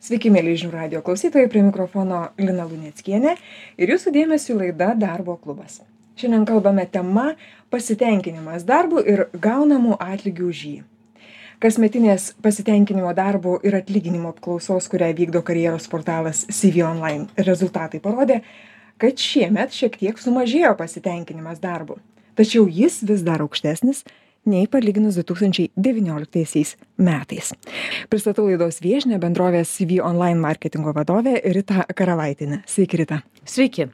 Sveiki, mėly žinių radio klausytojai, prie mikrofono Lina Luneckienė ir jūsų dėmesio laida Darbo klubas. Šiandien kalbame tema pasitenkinimas darbu ir gaunamų atlygių už jį. Kasmetinės pasitenkinimo darbo ir atlyginimo apklausos, kurią vykdo karjeros portalas CV Online, rezultatai parodė, kad šiemet šiek tiek sumažėjo pasitenkinimas darbu. Tačiau jis vis dar aukštesnis nei palyginus 2019 metais. Pristatau laidos viešnią bendrovės CV Online marketingo vadovę Ritą Karavaitienę. Sveiki, Rita. Sveiki.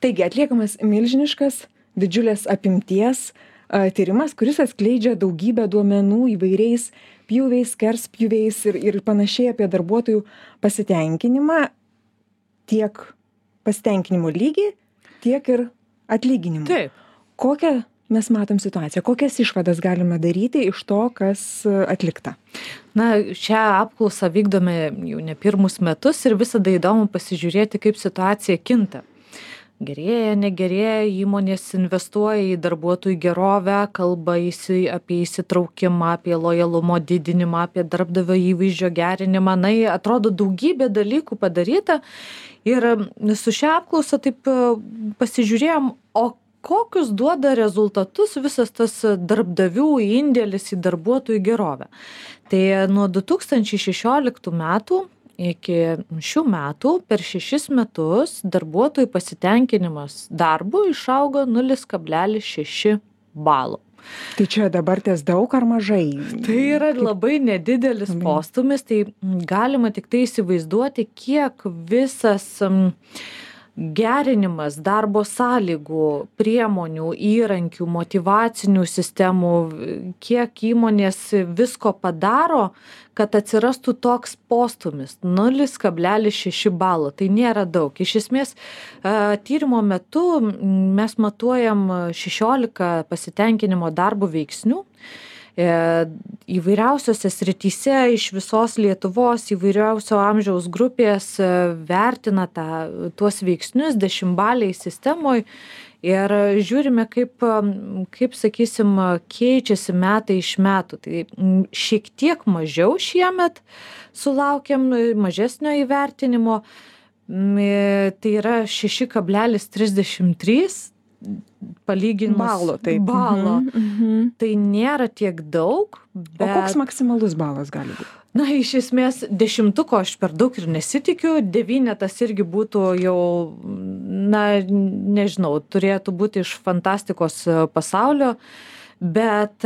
Taigi, atliekamas milžiniškas, didžiulės apimties tyrimas, kuris atskleidžia daugybę duomenų įvairiais pjūviais, skerspjūviais ir panašiai apie darbuotojų pasitenkinimą, tiek pasitenkinimo lygį, tiek ir atlyginimą. Taip. Kokią mes matom situaciją, kokias išvadas galime daryti iš to, kas atlikta? Na, šią apklausą vykdome jau ne pirmus metus ir visada įdomu pasižiūrėti, kaip situacija kinta. Gerėja, negerėja, įmonės investuoja į darbuotojų gerovę, kalba apie įsitraukimą, apie lojalumo didinimą, apie darbdavio įvaizdžio gerinimą. Na, atrodo daugybė dalykų padaryta ir su šią apklausą taip pasižiūrėjom, o kokius duoda rezultatus visas tas darbdavių indėlis į darbuotojų gerovę. Tai nuo 2016 metų iki šių metų per 6 metus darbuotojų pasitenkinimas darbu išaugo 0,6 balo. Tai čia dabar ties daug ar mažai? Tai yra labai nedidelis postūmis, tai galima tik tai įsivaizduoti, kiek visas gerinimas darbo sąlygų, priemonių, įrankių, motyvacinių sistemų, kiek įmonės visko padaro, kad atsirastų toks postūmis 0,6 balo. Tai nėra daug. Iš esmės, tyrimo metu mes matuojam 16 pasitenkinimo darbo veiksnių. Įvairiausiose srityse iš visos Lietuvos įvairiausio amžiaus grupės vertina tuos veiksnius 10-baliai sistemoje ir žiūrime, kaip sakysim, keičiasi metai iš metų. Tai šiek tiek mažiau šiemet sulaukiam mažesnio įvertinimo, tai yra 6,33 palyginus balo. Tai nėra tiek daug. Bet... O koks maksimalus balas gali būti? Na, iš esmės, 10-ko aš per daug ir nesitikiu, 9 irgi būtų jau, na, nežinau, turėtų būti iš fantastikos pasaulio, bet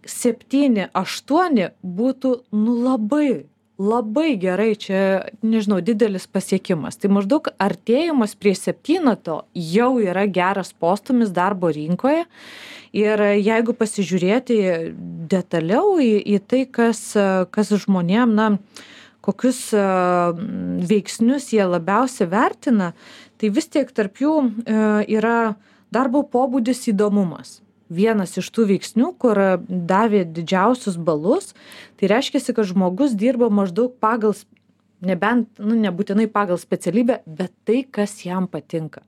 7-8 būtų, labai gerai, čia, nežinau, didelis pasiekimas. Tai maždaug artėjimas prie 7 jau yra geras postūmis darbo rinkoje. Ir jeigu pasižiūrėti detaliau į tai, kas žmonėm, na, kokius veiksnius jie labiausiai vertina, tai vis tiek tarp jų yra darbo pobūdis įdomumas. Vienas iš tų veiksnių, kur davė didžiausius balus, tai reiškia, kad žmogus dirba maždaug pagal, nebūtinai pagal specialybę, bet tai, kas jam patinka.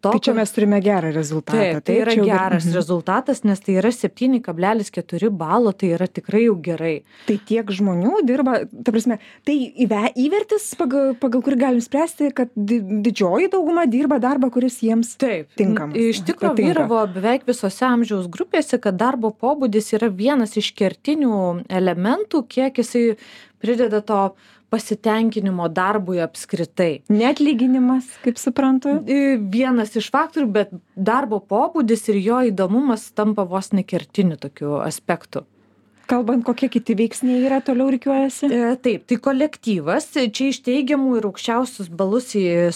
Tai čia mes turime gerą rezultatą. Taip, tai yra geras rezultatas, nes tai yra 7,4 balo, tai yra tikrai jau gerai. Tai tiek žmonių dirba, ta prasme, tai įvertis, pagal kurį galim spręsti, kad didžioji dauguma dirba darbą, kuris jiems tinkamas. Iš tikrųjų vyravo beveik visose amžiaus grupėse, kad darbo pobūdis yra vienas iš kertinių elementų, kiek jisai prideda to pasitenkinimo darbui apskritai. Neatlyginimas, kaip suprantu? Vienas iš faktorių, bet darbo pobūdis ir jo įdomumas tampa vos nekertiniu tokiu aspektu. Kalbant, kokie kiti veiksniai yra, toliau rikiuojasi? Taip, tai kolektyvas, čia iš teigiamų ir aukščiausius balus į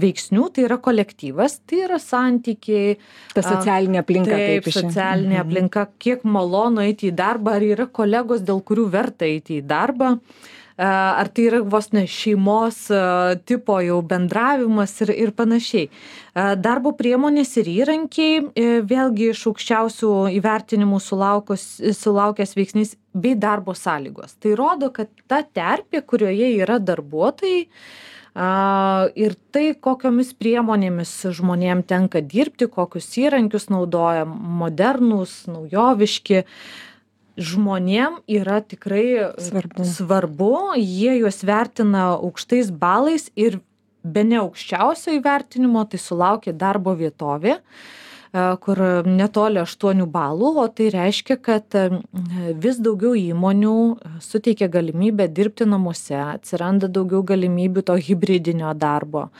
veiksnių, tai yra kolektyvas, tai yra santykiai. Ta socialinė aplinka. Taip, socialinė aplinka, kiek malonu eiti į darbą, ar yra kolegos, dėl kurių verta eiti į darbą. Ar tai yra vos ne šeimos tipo jau bendravimas ir panašiai. Darbo priemonės ir įrankiai, vėlgi iš aukščiausių įvertinimų sulaukęs veiksnys bei darbo sąlygos. Tai rodo, kad ta terpė, kurioje yra darbuotojai, ir tai, kokiomis priemonėmis žmonėm tenka dirbti, kokius įrankius naudoja, modernūs, naujoviški, žmonėm yra tikrai svarbu, jie juos vertina aukštais balais ir bene aukščiausio įvertinimo tai sulaukia darbo vietovė, kur netoli 8 balų, o tai reiškia, kad vis daugiau įmonių suteikia galimybę dirbti namuose, atsiranda daugiau galimybių to hibridinio darbo.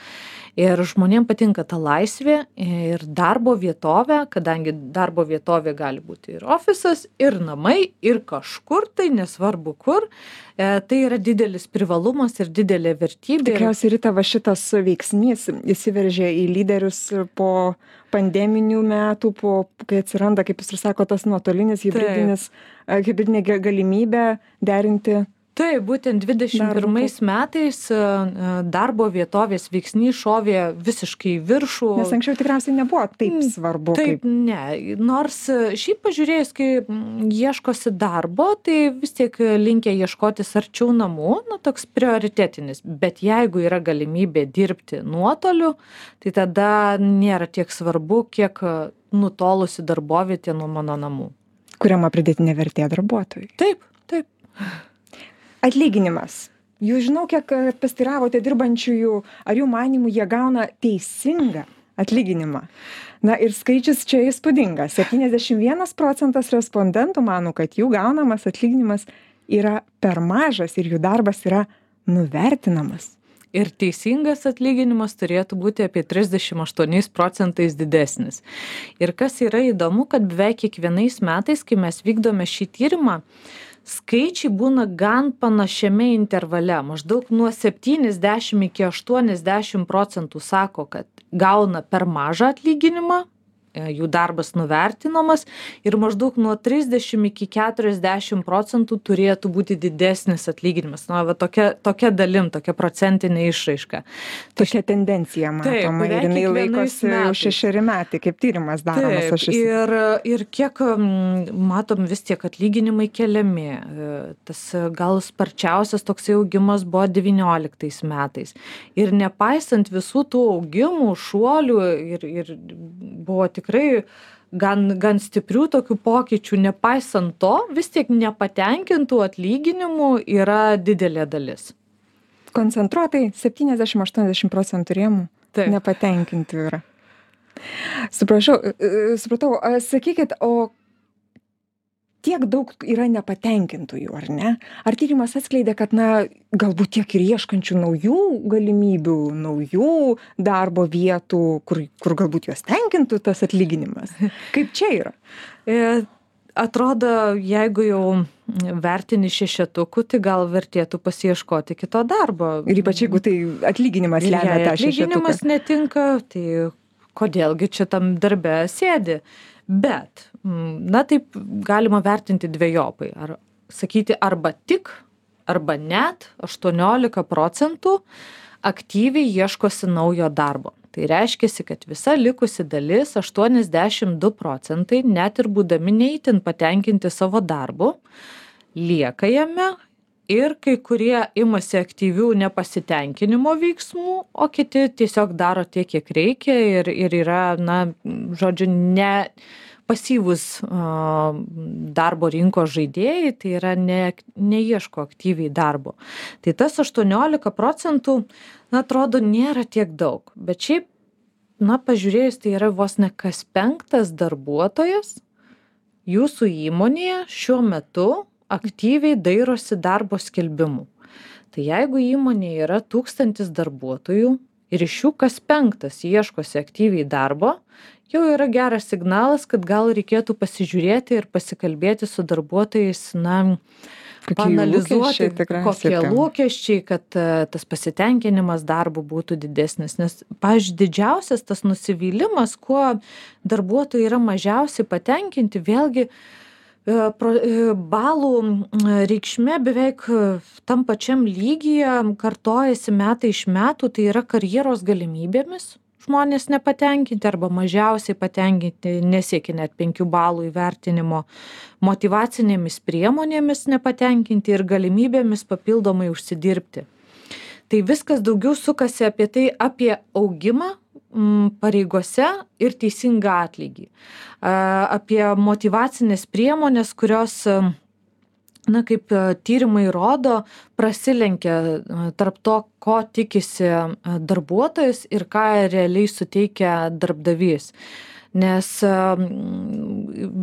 Ir žmonėm patinka ta laisvė ir darbo vietovė, kadangi darbo vietovė gali būti ir ofisas, ir namai, ir kažkur, tai nesvarbu kur, tai yra didelis privalumas ir didelė vertybė. Tikriausiai, Rita, va šitas veiksnys įsiveržė į lyderius po pandeminių metų, kai atsiranda, kaip jūs ir sako, tas nuotolinis hibridinė galimybė derinti. Taip, būtent 21 metais darbo vietovės veiksnys šovė visiškai į viršų. Nes anksčiau tikriausiai nebuvo taip svarbu. Taip, ne. Nors šiaip pažiūrėjus, kai ieškosi darbo, tai vis tiek linkę ieškotis arčiau namų, toks prioritetinis. Bet jeigu yra galimybė dirbti nuotoliu, tai tada nėra tiek svarbu, kiek nutolusi darbovietė nuo mano namų. Kuriama pridėtinė vertė darbuotojui. Taip. Atlyginimas. Jūs žinau, kiek pasiteiravote dirbančiųjų, ar jų manymų jie gauna teisingą atlyginimą. Na ir skaičius čia įspūdingas. 71% respondentų mano, kad jų gaunamas atlyginimas yra per mažas ir jų darbas yra nuvertinamas. Ir teisingas atlyginimas turėtų būti apie 38% didesnis. Ir kas yra įdomu, kad beveik kiekvienais metais, kai mes vykdome šį tyrimą, skaičiai būna gan panašiame intervale. Maždaug nuo 70 iki 80% sako, kad gauna per mažą atlyginimą, jų darbas nuvertinamas, ir maždaug nuo 30 iki 40% turėtų būti didesnis atlyginimas. Va tokia dalim, tokia procentinė išraiška. Tokia tendencija matoma. Ir jinai laikosi jau 6 metai, kaip tyrimas daromas. Ir kiek matom, vis tiek atlyginimai keliami. Tas gal sparčiausias toksai augimas buvo 19 metais. Ir nepaisant visų tų augimų, šuolių ir buvo tikrai gan stiprių tokių pokyčių, nepaisant to, vis tiek nepatenkintų atlyginimų yra didelė dalis. Koncentruotai 70-80% rėmų nepatenkintų yra. Supratau, sakykit, o tiek daug yra nepatenkintųjų, ar ne? Ar tyrimas atskleidė, kad, galbūt tiek ir ieškančių naujų galimybių, naujų darbo vietų, kur galbūt juos tenkintų tas atlyginimas? Kaip čia yra? Atrodo, jeigu jau vertini 6, tai gal vertėtų pasiieškoti kito darbo. Ir ypač jeigu tai atlyginimas lemia tą 6. Atlyginimas netinka, tai kodėlgi čia tam darbe sėdi? Bet, taip galima vertinti dvejopai. Sakyti arba tik, arba net 18% aktyviai ieškosi naujo darbo. Tai reiškia, kad visa likusi dalis, 82%, net ir būdami neįtin patenkinti savo darbu, lieka jame ir kai kurie imasi aktyvių nepasitenkinimo veiksmų, o kiti tiesiog daro tiek, kiek reikia ir yra, žodžiu, ne pasyvūs darbo rinkos žaidėjai, tai yra neieško aktyviai darbo. Tai tas 18%, atrodo, nėra tiek daug. Bet šiaip, pažiūrėjus, tai yra vos ne kas 5 darbuotojas jūsų įmonėje šiuo metu aktyviai dairosi darbo skelbimų. Tai jeigu įmonėje yra 1000 darbuotojų ir iš jų kas 5 ieškosi aktyviai darbo, jau yra geras signalas, kad gal reikėtų pasižiūrėti ir pasikalbėti su darbuotojais, paanalizuoti, kokie lūkesčiai, kad tas pasitenkinimas darbu būtų didesnis. Nes, pavyzdžiui, didžiausias tas nusivylimas, kuo darbuotojai yra mažiausiai patenkinti, vėlgi balų reikšmė beveik tam pačiam lygyje kartojasi metai iš metų, tai yra karjeros galimybėmis. Žmonės nepatenkinti arba mažiausiai patenkinti, nesiekia net 5 balų įvertinimo, motyvacinėmis priemonėmis nepatenkinti ir galimybėmis papildomai užsidirbti. Tai viskas daugiau sukasi apie augimą pareigose ir teisingą atlygį. Apie motyvacinės priemonės, kurios kaip tyrimai rodo, prasilenkia tarp to, ko tikisi darbuotojas ir ką realiai suteikia darbdavys. Nes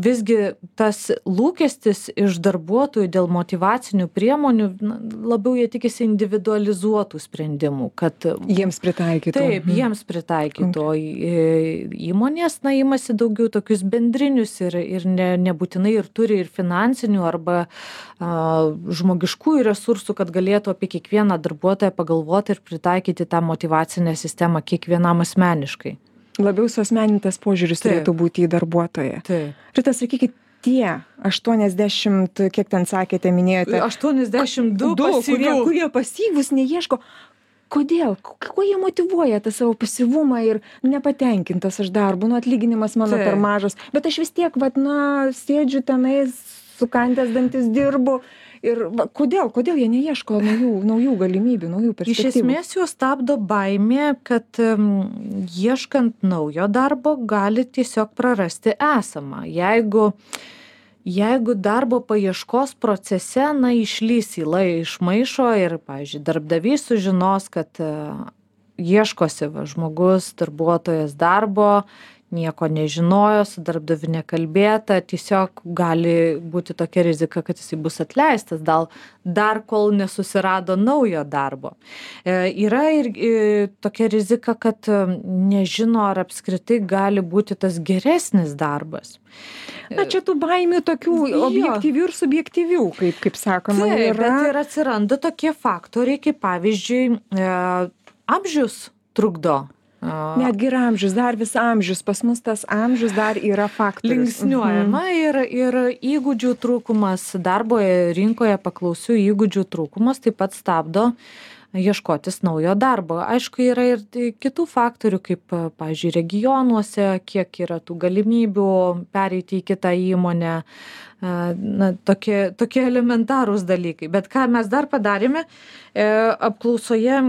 visgi tas lūkestis iš darbuotojų dėl motyvacinių priemonių, labiau jie tikisi individualizuotų sprendimų, kad jiems pritaikytų. Taip, jiems pritaikytų. Įmonės, imasi daugiau tokius bendrinius ir nebūtinai ir turi ir finansinių arba žmogiškųjų resursų, kad galėtų apie kiekvieną darbuotoją pagalvoti ir pritaikyti tą motyvacinę sistemą kiekvienam asmeniškai. Labiau suasmenintas požiūris turėtų būti į darbuotoją. Rita, sakykit, tie 80, kiek ten sakėte, minėjote? 82 pasyvių. Kurie pasyvūs, neieško. Kodėl? Kuo jie motyvuoja tą savo pasyvumą ir nepatenkintas aš darbu, atlyginimas mano per mažas, bet aš vis tiek, sėdžiu tenais, sukandęs dantis dirbu. Ir kodėl jie neieško naujų galimybių, naujų perspektyvų? Iš esmės juos stabdo baimė, kad ieškant naujo darbo gali tiesiog prarasti esamą. Jeigu darbo paieškos procese, išlys įla iš maišo ir, pavyzdžiui, darbdavys sužinos, kad ieškosi žmogus, darbuotojas darbo, nieko nežinojo, su darbdaviu nekalbėta, tiesiog gali būti tokia rizika, kad jisai bus atleistas, dar kol nesusirado naujo darbo. Yra ir tokia rizika, kad nežino, ar apskritai gali būti tas geresnis darbas. Čia tų baimių tokių objektyvių ir subjektyvių, kaip sakoma, yra. Taip, bet ir atsiranda tokie faktoriai, kaip pavyzdžiui, amžius trukdo. Netgi ir amžius, dar vis amžius, pas mus tas amžius dar yra faktorius. Linksniuojama ir įgūdžių trūkumas, darbo rinkoje paklausių įgūdžių trūkumas taip pat stabdo ieškotis naujo darbo. Aišku, yra ir kitų faktorių, kaip, pavyzdžiui, regionuose, kiek yra tų galimybių pereiti į kitą įmonę, tokie elementarūs dalykai. Bet ką mes dar padarėme, apklausoje,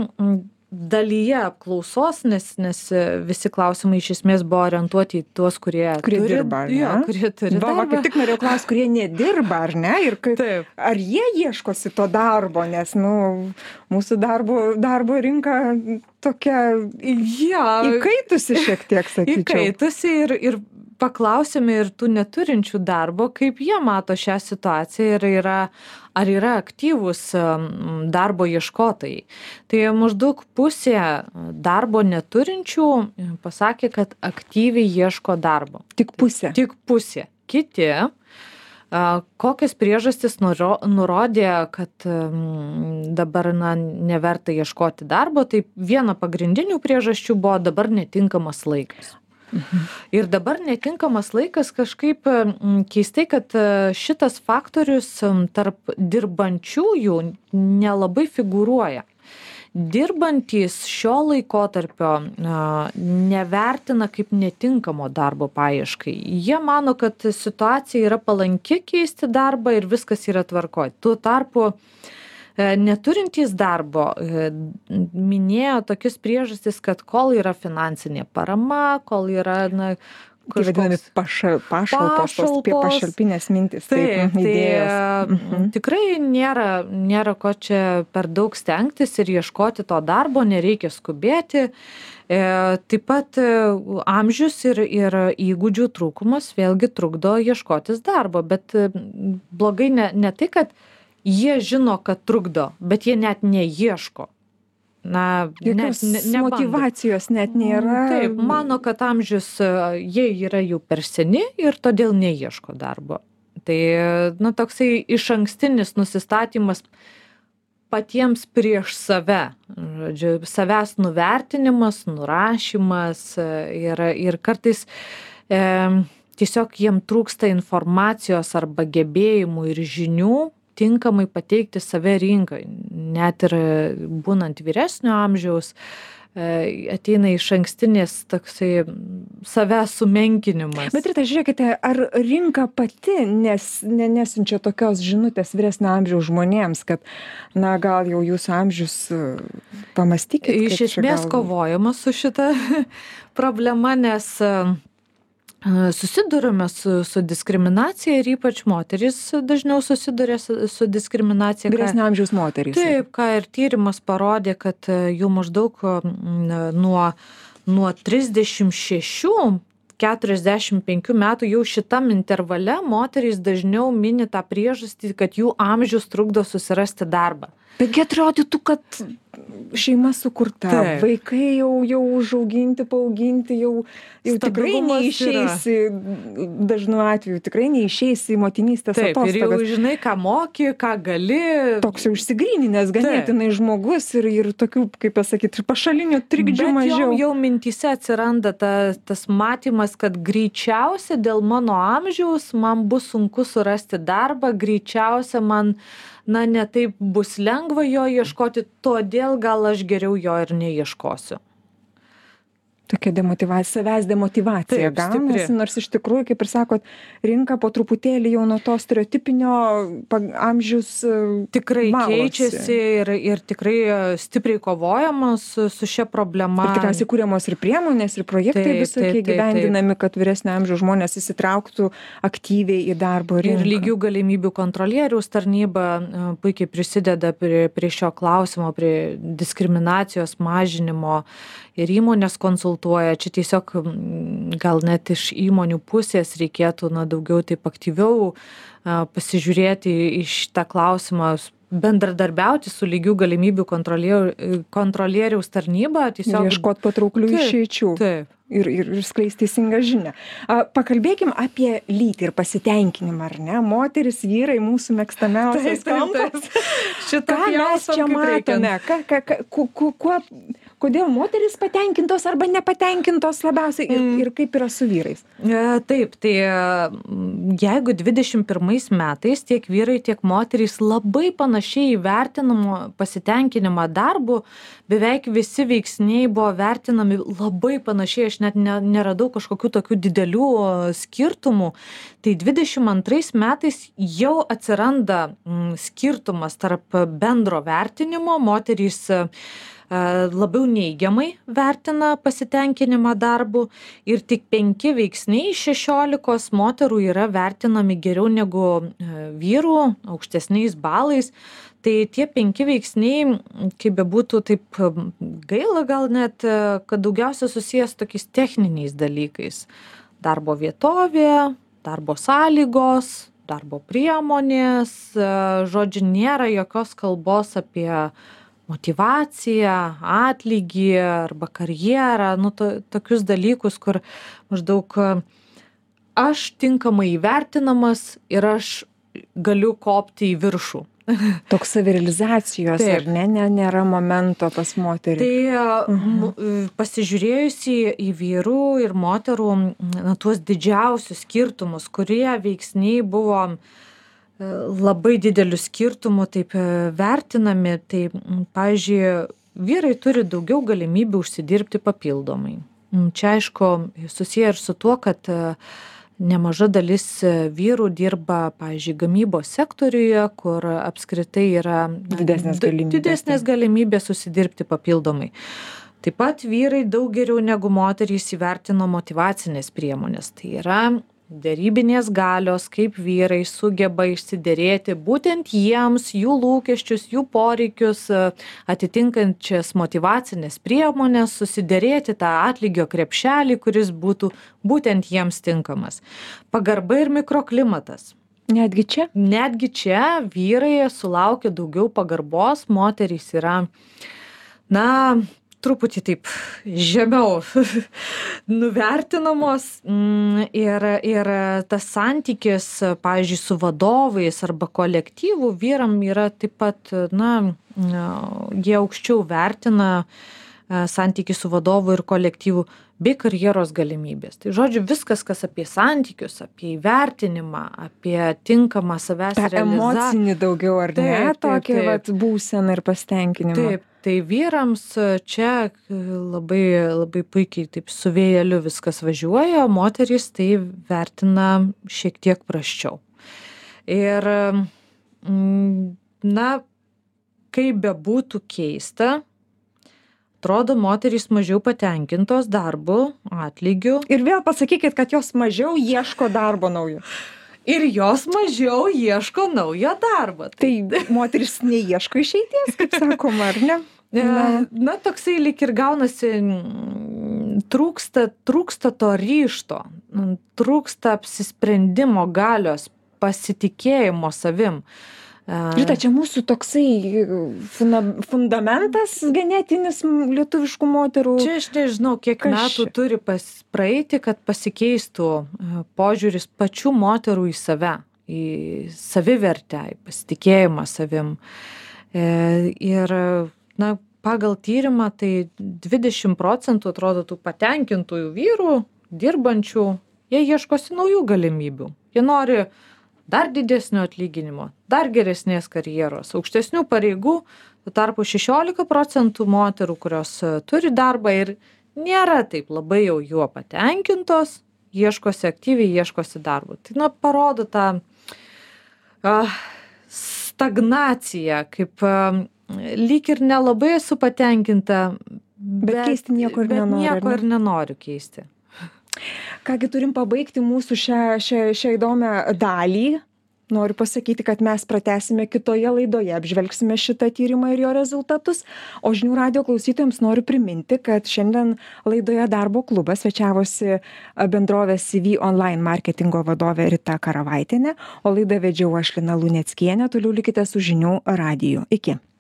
dalyje apklausos, nes visi klausimai iš esmės buvo orientuoti į tuos, kurie dirba, kurie turi darbą. Kaip tik norėjau klausti, kurie nedirba, ar ne? Ir ar jie ieškosi to darbo, nes mūsų darbo rinka tokia įkaitusi šiek tiek, sakyčiau. Įkaitusi ir paklausėme ir tų neturinčių darbo, kaip jie mato šią situaciją ir ar yra aktyvūs darbo ieškotojai. Tai maždaug pusė darbo neturinčių pasakė, kad aktyviai ieško darbo. Tik pusė? Tik pusė. Kiti, kokias priežastis nurodė, kad dabar neverta ieškoti darbo, tai viena pagrindinių priežasčių buvo dabar netinkamas laikas. Ir dabar netinkamas laikas kažkaip keistai, kad šitas faktorius tarp dirbančiųjų nelabai figūruoja. Dirbantys šio laikotarpio nevertina kaip netinkamo darbo paieškai. Jie mano, kad situacija yra palanki keisti darbą ir viskas yra tvarkoj. Tuo tarpu neturintys darbo minėjo tokius priežastis, kad kol yra finansinė parama, kol yra vadinami pašalpinės mintis. Taip, tikrai nėra ko čia per daug stengtis ir ieškoti to darbo, nereikia skubėti. Taip pat amžius ir įgūdžių trūkumas vėlgi trukdo ieškotis darbo, bet blogai ne tai, kad jie žino, kad trukdo, bet jie net neieško. Jokios motyvacijos net nėra. Taip, mano, kad amžius jie yra jau per seni ir todėl neieško darbo. Tai, toksai išankstinis nusistatymas patiems prieš save. Žodžiu, savęs nuvertinimas, nurašymas ir kartais tiesiog jiem trūksta informacijos arba gebėjimų ir žinių tinkamai pateikti save rinkai. Net ir būnant vyresnio amžiaus, ateina išankstinės toksai savęs sumenkinimas. Bet Rita, žiūrėkite, ar rinka pati nesinčia tokios žinutės vyresnio amžiaus žmonėms, kad, gal jau jūsų amžius pamastykit. Iš esmės kovojama su šita problema, nes Susidurime su diskriminacija ir ypač moterys dažniau susiduria su diskriminacija. Vyresnio amžiaus moterys. Taip, ką ir tyrimas parodė, kad jų maždaug nuo 36-45 metų jau šitam intervale moterys dažniau mini tą priežastį, kad jų amžius trukdo susirasti darbą. Taigi atrodytų, kad šeima sukurta, Taip. vaikai jau užauginti, paauginti, jau tikrai Stabilumas neišeisi, dažnu atveju tikrai neišeisi į motinystės Taip, ir jau atostogas. žinai, ką moki, ką gali. Toks jau išsigryninęs ganėtinai žmogus ir tokių, kaip pasakyti, pašalinių trikdžių Bet mažiau. jau mintyse atsiranda tas matymas, kad greičiausia dėl mano amžiaus man bus sunku surasti darbą, greičiausia man ne taip bus lengva jo ieškoti, todėl gal aš geriau jo ir neieškosiu. Tokia demotyvacija, savęs demotyvacija Taip, gaunasi, stipri. nors iš tikrųjų, kaip ir sakot, rinka po truputėlį jau nuo to stereotipinio amžius Tikrai valosi. keičiasi ir tikrai stipriai kovojama su šia problema. Ir tikriausiai kūriamos ir priemonės, ir projektai Taip, visokie taip, taip, gyvendinami, kad vyresnio amžiaus žmonės įsitrauktų aktyviai į darbo rinką. Ir lygių galimybių kontrolieriaus tarnyba puikiai prisideda prie šio klausimo, prie diskriminacijos mažinimo ir įmonės konsultuoja. Čia tiesiog gal net iš įmonių pusės reikėtų daugiau taip aktyviau pasižiūrėti į šitą klausimą, bendradarbiauti su lygių galimybių kontrolieriaus tarnyba. Ir ieškot patrauklių išeičių. Taip. Ir skleisti teisingą žinią. Pakalbėkim apie lytį ir pasitenkinimą, ar ne? Moteris, vyrai, mūsų mėgstamiausias kampas. Ką mes čia matome? Kodėl moteris patenkintos arba nepatenkintos labiausiai ir kaip yra su vyrais? Taip, tai jeigu 21 metais tiek vyrai, tiek moterys labai panašiai įvertinamo pasitenkinimą darbu, beveik visi veiksniai buvo vertinami labai panašiai, aš net neradau kažkokių tokių didelių skirtumų. Tai 22 metais jau atsiranda skirtumas tarp bendro vertinimo, moterys labiau neigiamai vertina pasitenkinimą darbu ir tik 5 veiksniai iš 16 moterų yra vertinami geriau negu vyrų, aukštesniais balais. Tai tie 5 veiksniai, kaip bebūtų, taip gaila gal net, kad daugiausia susijęs tokiais techniniais dalykais. Darbo vietovė, darbo sąlygos, darbo priemonės, žodžiu, nėra jokios kalbos apie motyvaciją, atlygį arba karjerą, tokius dalykus, kur maždaug aš tinkamai įvertinamas ir aš galiu kopti į viršų. Toks savirealizacijos, ar ne, nėra momento pas moterį. Tai pasižiūrėjus į vyrų ir moterų tuos didžiausius skirtumus, kurie veiksniai buvo labai didelių skirtumų taip vertinami, tai, pavyzdžiui, vyrai turi daugiau galimybių užsidirbti papildomai. Čia, aišku, susiję ir su tuo, kad nemaža dalis vyrų dirba, pavyzdžiui, gamybos sektoriuje, kur apskritai yra didesnės galimybės susidirbti papildomai. Taip pat vyrai daug geriau negu moterys įvertino motyvacinės priemonės. Tai yra derybinės galios, kaip vyrai sugeba išsiderėti būtent jiems, jų lūkesčius, jų poreikius, atitinkančias motyvacinės priemonės, susiderėti tą atlygio krepšelį, kuris būtų būtent jiems tinkamas. Pagarba ir mikroklimatas. Netgi čia? Netgi čia vyrai sulaukia daugiau pagarbos, moterys yra, truputį taip žemiau nuvertinamos ir tas santykis, pavyzdžiui, su vadovais arba kolektyvų vyram yra taip pat, jie aukščiau vertina santykį su vadovu ir kolektyvu bei karjeros galimybės. Tai žodžiu, viskas, kas apie santykius, apie įvertinimą, apie tinkamą savęs realizaciją. Emocinį daugiau, ar ne? Tokia būsena ir pasitenkinimą. Taip. Tai vyrams čia labai, labai puikiai taip su vėjeliu viskas važiuoja, o moterys tai vertina šiek tiek prasčiau. Ir, kaip bebūtų keista, atrodo moterys mažiau patenkintos darbu, atlygiu. Ir vėl pasakykit, kad jos mažiau ieško darbo naujo. Ir jos mažiau ieško naujo darbo. Tai moteris neieško išeities, kaip sakoma, ar ne? Na, toksai lyg ir gaunasi, trūksta to ryžto, trūksta apsisprendimo galios, pasitikėjimo savim. Žinai, čia mūsų toksai fundamentas genetinis lietuviškų moterų. Čia aš nežinau, kiek metų turi praeiti, kad pasikeistų požiūris pačių moterų į save, į savivertę, į pasitikėjimą savim. Ir, na, pagal tyrimą tai 20% atrodo tų patenkintųjų vyrų, dirbančių, jie ieškosi naujų galimybių. Jie nori dar didesnio atlyginimo, dar geresnės karjeros, aukštesnių pareigų, tuo tarpu 16% moterų, kurios turi darbą ir nėra taip labai jau juo patenkintos, ieškosi aktyviai, ieškosi darbo. Tai, na, parodo tą stagnaciją, kaip lyg ir nelabai esu patenkinta, bet keisti nieko ir nenoriu keisti. Kągi, turim pabaigti mūsų šią įdomią dalį. Noriu pasakyti, kad mes pratęsime kitoje laidoje, apžvelgsime šitą tyrimą ir jo rezultatus. O žinių radijo klausytojams noriu priminti, kad šiandien laidoje Darbo klubas svečiavosi bendrovės CV online marketingo vadovė Rita Karavaitienė, o laidą vedžiau aš Lina Luneckienė. Toliau likite su žinių radiju. Iki.